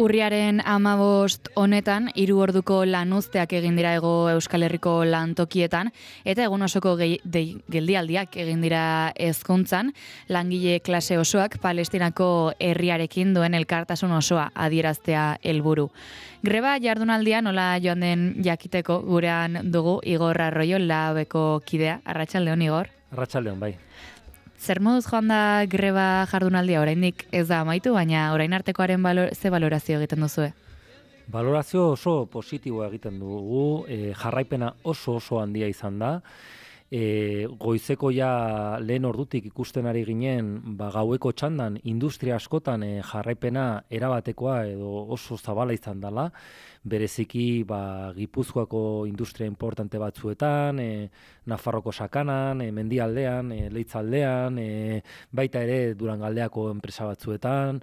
Urriaren 15 honetan 3 orduko lanuzteak egin dira Hego Euskal Herriko lantokietan eta egun osoko geldialdiak egin dira hezkuntzan, langile klase osoak Palestinako herriarekin duen elkartasun osoa adieraztea helburu. Greba jardunaldia nola joan den jakiteko gurean dugu Igor Arroyo, Labeko kidea. Arratsaldeon, Igor. Arratsaldeon, bai. Zer moduz joan da greba jardunaldia, oraindik ez da amaitu, baina orain artekoaren ze balorazio egiten duzue? Balorazio oso positiboa egiten dugu, jarraipena oso handia izan da. Goizeko ja lehen ordutik ikusten ari ginen, gaueko txandan industria askotan jarraipena erabatekoa edo oso zabala izan dela, bereziki Gipuzkoako industria importante batzuetan, Nafarroko sakanan, Mendialdean, Leitzaldean, baita ere Durangaldeako enpresa batzuetan.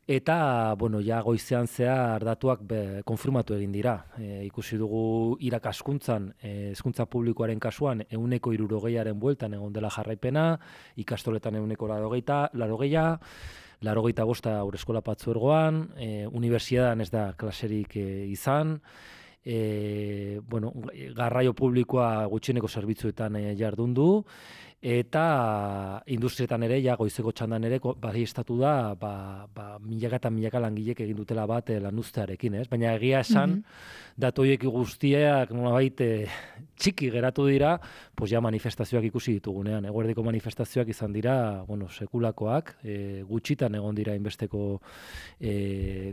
Eta, ja goizean zehar datuak konfirmatu egin dira. Ikusi dugu irakaskuntzan, hezkuntza publikoaren kasuan, 160aren bueltan egon dela jarraipena, ikastoletan 180, 85 haurreskola partzuergoan, unibertsitatean ez da klaserik izan, garraio publikoa gutxieneko zerbitzuetan jardun du, eta industrietan ere, goizeko txandan ere, baieztatu da, milaka eta milaka langilek egin dutela bat lanuztearekin, ez? Baina egia esan, datu horiek guztiak nolabait txiki geratu dira, manifestazioak ikusi ditugunean. Eguerdiko manifestazioak izan dira, sekulakoak, gutxitan egon dira inbesteko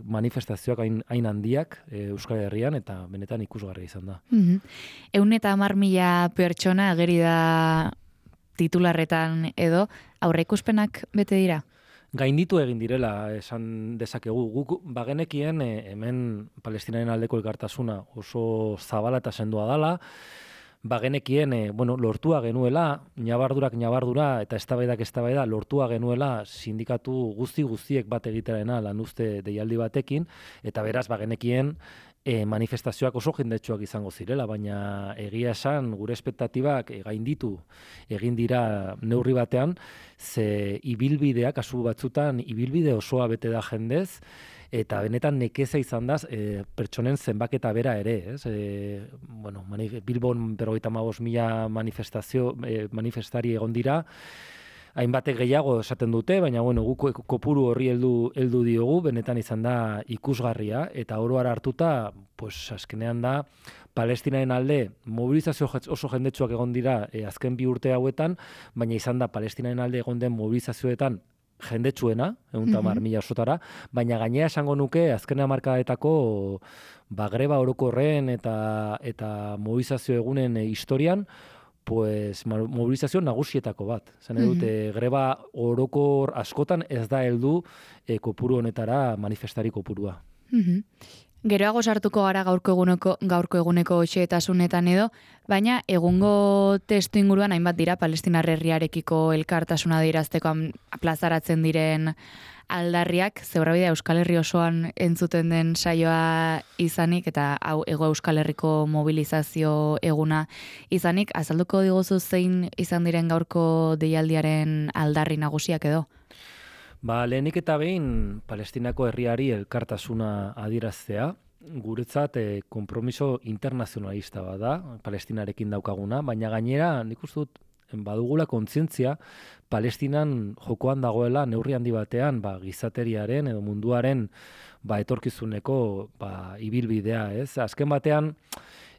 manifestazioak hain handiak Euskal Herrian, eta benetan ikusgarria izan da. 110.000 pertsona ageri da titularretan edo, aurreikuspenak bete dira? Gainditu egin direla esan dezakegu. Guk bagenekien hemen Palestinaren aldeko elkartasuna oso zabala eta sendoa dala, bagenekien lortua genuela, ñabardura eta eztabaida lortua genuela sindikatu guztiek bat egiterena lanuzte deialdi batekin, eta beraz bagenekien manifestazioak oso jendetsuak izango zirela, baina egia esan gure espektatibak gainditu egin dira neurri batean, ze ibilbidea, kasu batzutan ibilbide osoa bete da jendez, eta benetan nekeza izan da pertsonen zenbaketa bera ere, ez? Bilbon 55.000 manifestari egon dira, hainbatek gehiago esaten dute, baina guk kopuru horri heldu diogu, benetan izan da ikusgarria, eta oro har hartuta, azkenean da, Palestinaren alde mobilizazio oso jendetsuak egon dira azken 2 urte hauetan, baina izan da Palestinaren alde egon den mobilizazioetan jendetsuena, 110.000 osotara, baina gainera esango nuke azken hamarkadetako greba orokorren eta mobilizazio egunen historian, mobilizazio nagusietako bat. Zene dute, greba orokor askotan ez da heldu kopuru honetara manifestari kopurua. Geroago sartuko gara gaurko eguneko xehetasunetan edo, baina egungo testu inguruan hainbat dira Palestinar herriarekiko elkartasuna adierazteko plazaratzen diren aldarriak, zeurabidea Euskal Herri osoan entzuten den saioa izanik, eta hau Hego Euskal Herriko mobilizazio eguna izanik, azalduko diguzu zein izan diren gaurko deialdiaren aldarri nagusiak edo? Lehenik eta behin Palestinako herriari elkartasuna adieraztea, guretzat konpromiso internazionalista bat da, Palestinarekin daukaguna, baina gainera nik uste dut badugula kontzientzia Palestinan jokoan dagoela neurri handi batean gizateriaren edo munduaren etorkizuneko ibilbidea, ez? Azken batean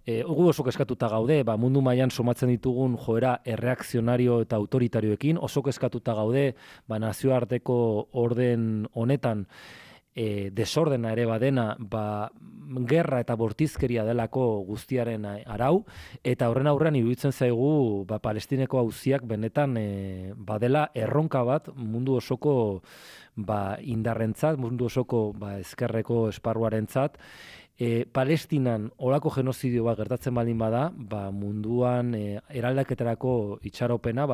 gu oso kezkatuta gaude, mundu mailan somatzen ditugun joera erreakzionario eta autoritarioekin, oso kezkatuta gaude nazioarteko orden honetan desordena ere badena, gerra eta bortizkeria delako guztiaren arau, eta horren aurrean iruditzen zaigu Palestineko auziak benetan badela erronka bat mundu osoko indarrentzat, mundu osoko ezkerreko esparruarentzat. Palestinan olako genozidio bat gertatzen baldin bada, munduan eraldaketarako itxaropena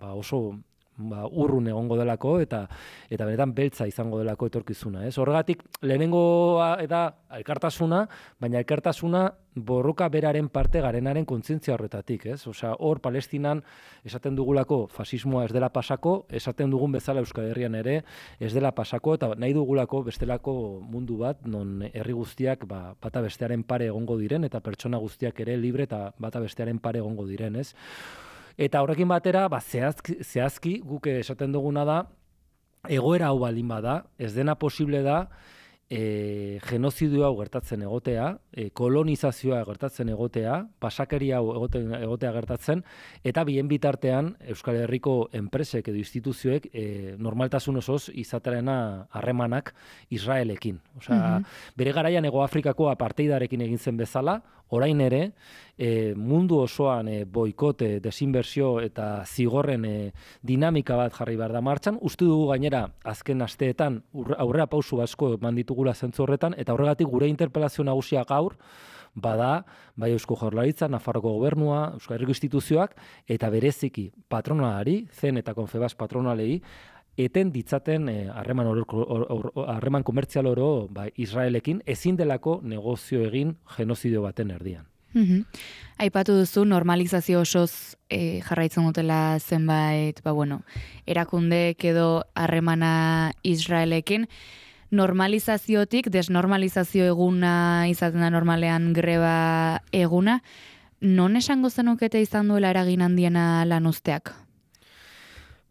oso urrun egongo delako eta benetan beltza izango delako etorkizuna, ez? Horregatik lehenengoa da elkartasuna, baina elkartasuna borroka beraren parte garenaren kontzientzia horretatik, ez? Osea, hor Palestinan esaten dugulako fasismoa ez dela pasako, esaten dugun bezala Euskal Herrian ere ez dela pasako, eta nahi dugulako bestelako mundu bat, non herri guztiak bata bestearen pare egongo diren, eta pertsona guztiak ere libre eta bata bestearen pare egongo diren, ez? Eta horrekin batera, zehazki guk esaten duguna da, egoera hau baldin bada, ez dena posible da, genozidioa gertatzen egotea, kolonizazioa gertatzen egotea, pasakeria hau egotea gertatzen, eta bien bitartean Euskal Herriko enpresek edo instituzioek normaltasun osoz izaterena harremanak Israelekin. Osea, bere garaian Hego Afrikako apartheidarekin egin zen bezala, orain ere, mundu osoan boikote, desinbertsio eta zigorren dinamika bat jarri behar da martxan. Uste dugu gainera, azken asteetan aurrera pausu asko eman ditugula zentzu horretan, eta horregatik gure interpelazio nagusia gaur, bada, bai Eusko Jaurlaritza, Nafarroko Gobernua, Euskal Herriko instituzioak, eta bereziki patronalari, Zen eta Confebas patronalei, eten ditzaten harreman komertzial oro Israelekin ezin delako negozio egin genozidio baten erdian. Aipatu duzu normalizazio osoz jarraitzen dutela zenbait, erakundeek edo harremana Israelekin. Normalizaziotik, desnormalizazio eguna izaten da normalean greba eguna, non esango zenukete izan duela eragin handiena lan uzteak?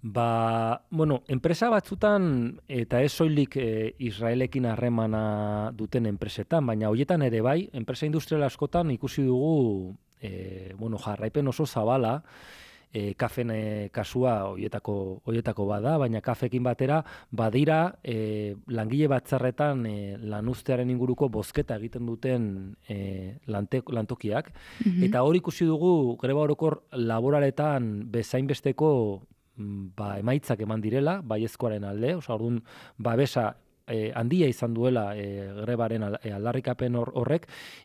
Enpresa batzutan, eta ez soilik Israelekin harremana duten enpresetan, baina horietan ere bai, enpresa industrial askotan ikusi dugu jarraipen oso zabala, kafen kasua horietako bada, baina kafekin batera badira langile batzarretan lanuztearen inguruko bozketa egiten duten lantokiak, eta hor ikusi dugu greba orokor laboraletan bezainbesteko emaitzak eman direla, baiezkoaren alde, orduan babesa handia izan duela grebaren aldarrikapen horrek,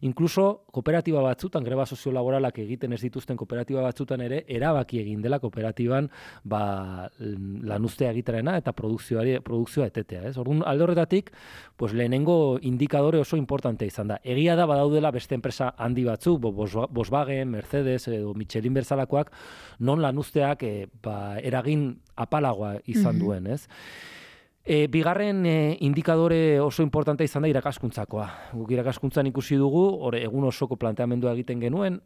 inkluso kooperatiba batzutan, greba soziolaboralak egiten ez dituzten kooperatiba batzutan ere, erabaki egin dela kooperatiban lanuztea egitarena eta produkzioa etetea. Orduan, alde horretatik, lehenengo indikadore oso importante izan da. Egia da badaudela beste enpresa handi batzuk, Volkswagen, Mercedes edo Michelin berzalakoak, non lanuzteak eragin apalagoa izan duen, ez? Bigarren indikadore oso importantea izan da irakaskuntzakoa. Guk irakaskuntzan ikusi dugu, egun osoko planteamendua egiten genuen,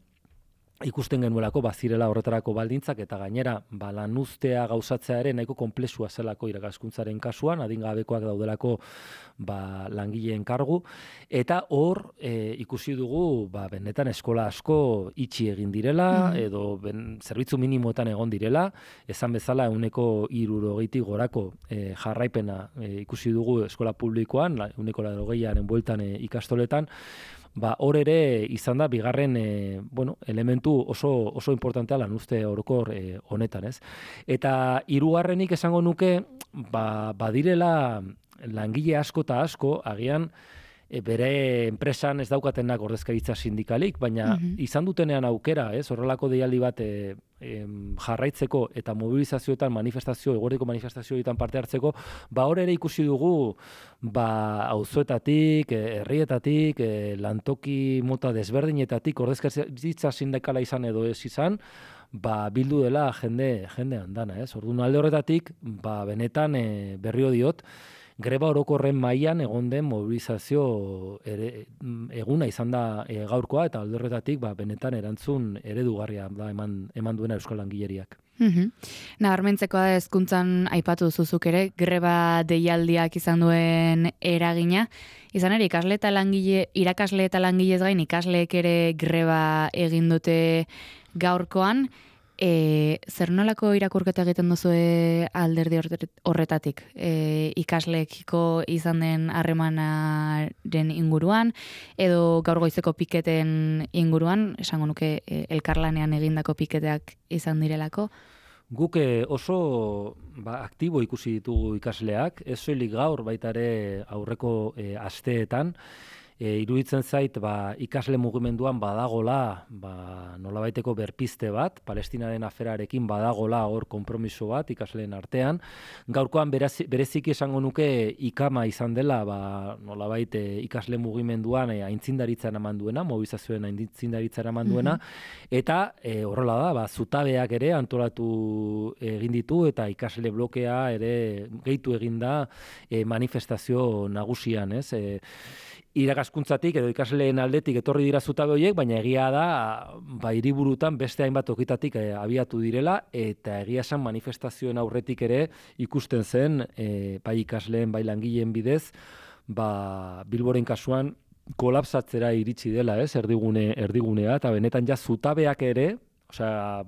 ikusten genuelako bazirela horretarako baldintzak, eta gainera lanuztea gauzatzea ere nahiko konplexua zelako irakaskuntzaren kasuan, adingabekoak daudelako langileen kargu, eta hor ikusi dugu benetan eskola asko itxi egin direla, edo zerbitzu minimoetan egon direla, esan bezala 60%tik gorako jarraipena ikusi dugu eskola publikoan, 80%aren bueltan ikastoletan, hor ere izan da bigarren elementu oso importantea lanuzte orokor honetan, ez? Eta hirugarrenik esango nuke, badirela langile asko eta asko, agian bere enpresan ez daukatenak ordezkaritza sindikalik, baina izan dutenean aukera, horrelako deialdi bat jarraitzeko eta mobilizazioetan eguerdiko manifestazioetan parte hartzeko, hor ere ikusi dugu auzoetatik, herrietatik, lantoki mota desberdinetatik ordezkaritza sindikala izan edo ez izan, bildu dela jende handana, ez? Orduan alde horretatik, benetan berriro diot, greba orokorren mailan egon den mobilizazio eguna izan da gaurkoa, eta alde horretatik benetan erantzun eredugarria da eman duena euskal langileriak. Nabarmentzekoa da hezkuntzan aipatu zuzuk ere, greba deialdiak izan duen eragina. Izan ere, irakasle eta langilez gain ikasleek ere greba egin dute gaurkoan. Zer nolako irakurketa egiten duzu alderdi horretatik? Ikasleekiko izan den harremanaren inguruan, edo gaur goizeko piketen inguruan, esango nuke elkarlanean egindako piketeak izan direlako? Guk oso aktibo ikusi ditugu ikasleak, ez soilik gaur baita ere aurreko asteetan, iruditzen zait ikasle mugimenduan badagola nolabaiteko berpizte bat, Palestinaren aferarekin badagola hor konpromiso bat ikasleen artean. Gaurkoan bereziki esango nuke ikama izan dela nolabait ikasle mugimenduan aintzindaritza eraman duena, mobilizazioen aintzindaritza eraman duena, eta horrela da, zutabeak ere antolatu egin ditu eta ikasle blokea ere gehitu egin da manifestazio nagusian, ez? Irakaskuntzatik edo ikasleen aldetik etorri dira zutabe horiek, baina egia da hiriburutan beste hainbat tokitatik abiatu direla, eta egia esan manifestazioen aurretik ere ikusten zen bai ikasleen bai langileen bidez, Bilboren kasuan kolapsatzera iritsi dela, ez? Erdigunea, eta benetan ja zutabeak ere,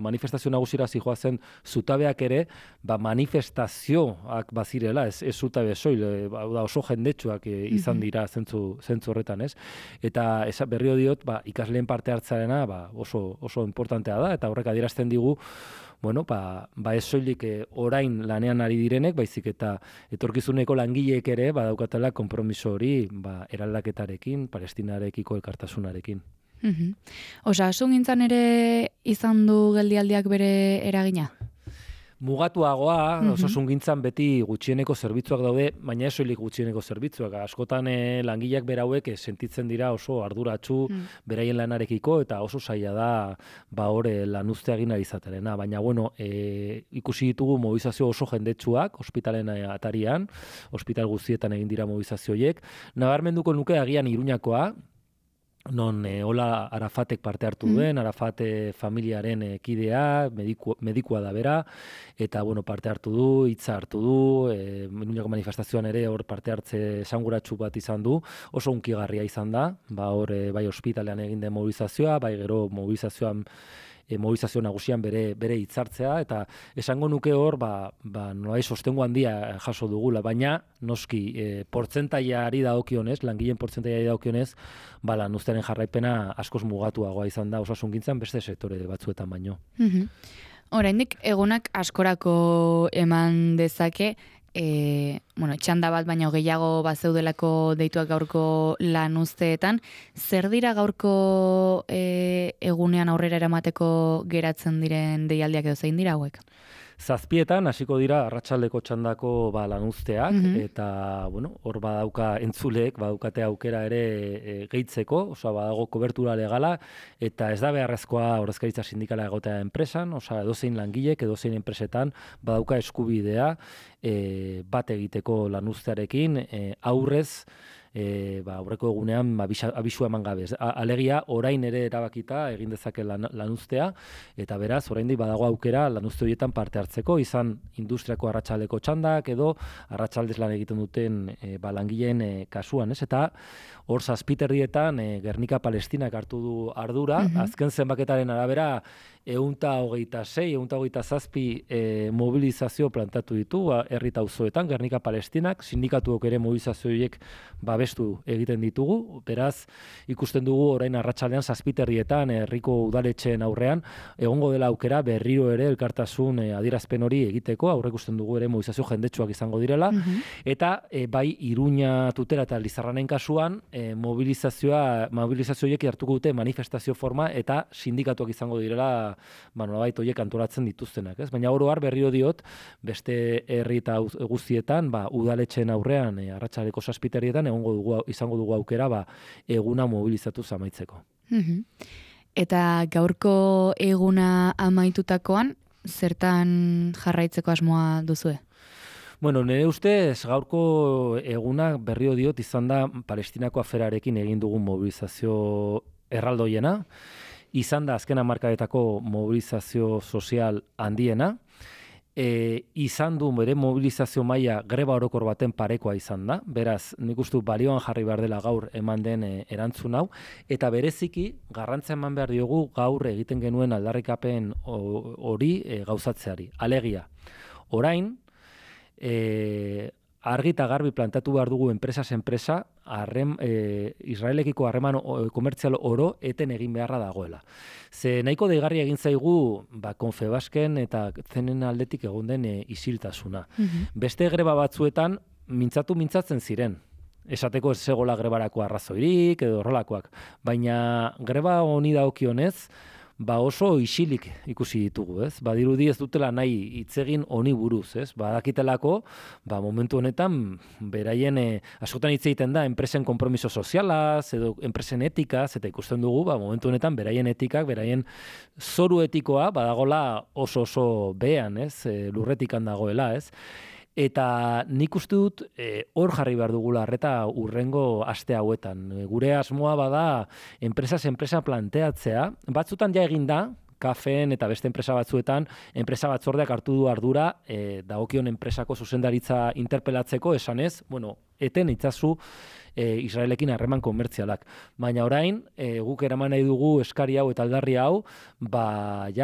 manifestazio nagusira zijoazen zutabeak ere, manifestazioak bazirela, ez zutabe soil, oso jendetsuak izan dira zentzu horretan, ez? Eta berriro diot, ikasleen parte hartzarena oso importantea da, eta horrek adierazten digu, ez soilik orain lanean ari direnek, baizik eta etorkizuneko langileek ere badaukatela konpromiso hori eraldaketarekin, Palestinarekiko elkartasunarekin. Osasungintzan ere izan du geldialdiak bere eragina? Mugatuagoa, osasungintzan beti gutxieneko zerbitzuak daude, baina ez soilik gutxieneko zerbitzuak. Askotan langileak berauek sentitzen dira oso arduratsu beraien lanarekiko, eta oso zaila da lanuztea egin ari izatearena. Baina, ikusi ditugu mobilizazio oso jendetsuak, ospitalen atarian, ospital guztietan egin dira mobilizazioiek. Nabarmenduko nuke agian Iruñakoa, non hola Arafatek parte hartu duen, Arafat familiaren kidea, medikua da bera, eta parte hartu du, hitza hartu du, Iruñako manifestazioan ere hor parte hartze esanguratsu bat izan du, oso hunkigarria izan da, bai ospitalean egin den mobilizazioa, bai gero mobilizazio nagusian bere hitzartzea, eta esango nuke hor, nolai sostengu handia jaso dugula, baina noski portzentaiari dagokionez, langileen portzentaiari dagokionez, lanuztearen jarraipena askoz mugatuagoa izan da osasungintzan beste sektore batzuetan baino. Oraindik egunak askorako eman dezake, txanda bat baino gehiago bazeudelako deituak gaurko lanuzteetan. Zer dira gaurko egunean aurrera eramateko geratzen diren deialdiak edo zein dira hauek? 7:00 hasiko dira arratsaldeko txandako lanuzteak, eta hor badauka entzuleek, badaukate aukera ere gehitzeko, badago kobertura legala, eta ez da beharrezkoa ordezkaritza sindikala egotea enpresan, edozein langilek, edozein enpresetan badauka eskubidea bat egiteko lanuztearekin, aurrez, aurreko egunean abisua eman gabe. Alegia, orain ere erabakita egin dezake lanuztea, eta beraz, oraindik badago aukera lanuzte horietan parte hartzeko, izan industriako arratsaldeko txandak, edo arratsaldez lan egiten duten langileen kasuan, ez? Eta hor 7:00 Gernika Palestinak hartu du ardura, azken zenbaketaren arabera, 126-127 mobilizazio plantatu ditu herri eta auzoetan Gernika Palestinak, sindikatuok ere mobilizazio horiek babestu egiten ditugu, beraz ikusten dugu orain arratsaldean 7:00 herriko udaletxeen aurrean egongo dela aukera berriro ere elkartasun adierazpen hori egiteko, aurreikusten dugu ere mobilizazio jendetsuak izango direla, eta bai Iruña, Tutera eta Lizarranen kasuan mobilizazio horiek hartuko dute manifestazio forma eta sindikatuak izango direla nolabait horiek antolatzen dituztenak, ez? Baina oro har berriro diot, beste herri eta guztietan, udaletxeen aurrean, arratsaldeko 7:00 izango dugu aukera, eguna mobilizatu amaitzeko. Eta gaurko eguna amaitutakoan, zertan jarraitzeko asmoa duzue? Nire ustez, gaurko eguna berriro diot izan da Palestinako aferarekin egin dugun mobilizazio erraldoiena, izan da azken hamarkadetako mobilizazio sozial handiena, izan du bere mobilizazio maila greba orokor baten parekoa izan da, beraz, nik uste balioan jarri behar dela gaur eman den erantzun hau, eta bereziki garrantzia eman behar diogu gaur egiten genuen aldarrikapen hori gauzatzeari. Alegia, orain, argi eta garbi plantatu behar dugu enpresas enpresa, Israelekiko harreman komertzial oro eten egin beharra dagoela. Ze nahiko deigarria egin zaigu Confebasken eta zenen aldetik egon den isiltasuna. Beste greba batzuetan mintzatzen ziren. esateko ez zegoela grebarako arrazoirik edo horrelakoak. Baina greba honi dagokionez, oso isilik ikusi ditugu, ez? Badirudi ez dutela nahi hitz egin honi buruz, ez? Badakitelako, momentu honetan beraien askotan hitz egiten da enpresen konpromiso sozialaz edo enpresen etikaz, eta ikusten dugu, momentu honetan beraien etikak, beraien zoru etikoa badagola oso behean, ez? Lurretikan dagoela, ez? Eta nik uste dut hor jarri behar dugula arreta urrengo aste hauetan. Gure asmoa bada enpresa planteatzea. Batzutan ja egin da, kafeen eta beste enpresa batzuetan, enpresa batzordeak hartu du ardura dagokion enpresako zuzendaritza interpelatzeko, esanez, eten itzazu Israelekin harreman komertzialak. Baina orain, guk eraman nahi dugu eskari hau eta aldarri hau,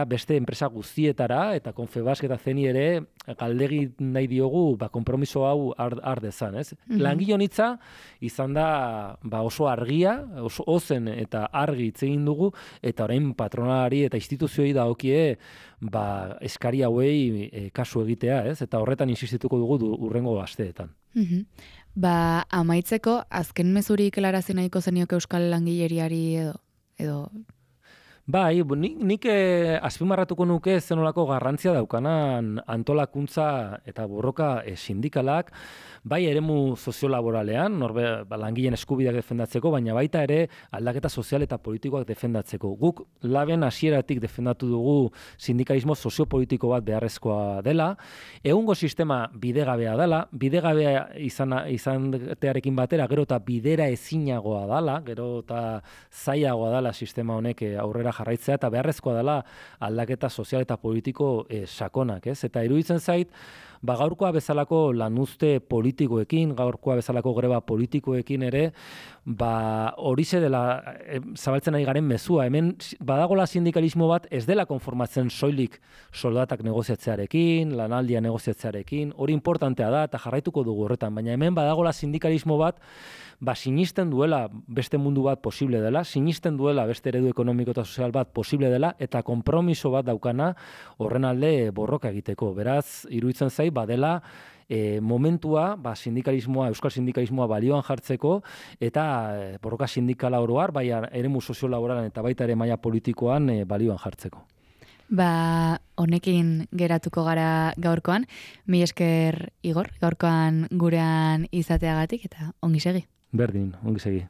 beste enpresa guztietara, eta Confebask eta Zeni ere, galdegi nahi diogu, konpromiso hau har dezan, ez? Langile honitza, izan da, oso argia, oso ozen eta argi hitz egin dugu, eta orain patronalari eta instituzioi dagokie, eskari hauei kasu egitea, ez? Eta horretan insistituko dugu urrengo asteetan. Amaitzeko, azken mezurik helarazi nahiko zenioke euskal langileriari edo? Bai, nik azpimarratuko nuke zenolako garrantzia daukanan antolakuntza eta borroka sindikalak, bai eremu soziolaboralean, langileen eskubideak defendatzeko, baina baita ere aldaketa sozial eta politikoak defendatzeko. Guk laben hasieratik defendatu dugu sindikalismo soziopolitiko bat beharrezkoa dela, egungo sistema bidegabea dela, bidegabea izatearekin batera, gero eta bidera ezinagoa dela, gero eta zailagoa dela sistema honek aurrera jarraitzea, eta beharrezkoa dela aldaketa sozial eta politiko sakonak, ez? Eta iruditzen zait, gaurkoa bezalako lanuzte politikoekin, gaurkoa bezalako greba politikoekin ere, horixe dela zabaltzen ari garen mezua. Hemen badagola sindikalismo bat ez dela konformatzen soilik soldatak negoziatzearekin, lanaldia negoziatzearekin, hori importantea da eta jarraituko dugu horretan, baina hemen badagola sindikalismo bat sinisten duela beste mundu bat posible dela, sinisten duela beste eredu ekonomiko eta sozial bat posible dela, eta konpromiso bat daukana horren alde borroka egiteko. Beraz, iruditzen zait, badela momentua sindikalismoa, euskal sindikalismoa balioan jartzeko, eta borroka sindikala oroar, bai eremu soziolaboralan eta baita ere maila politikoan balioan jartzeko. Honekin geratuko gara gaurkoan. Mila esker, Igor, gaurkoan gurean izateagatik, eta ongi segi. Berdin, ongi segi.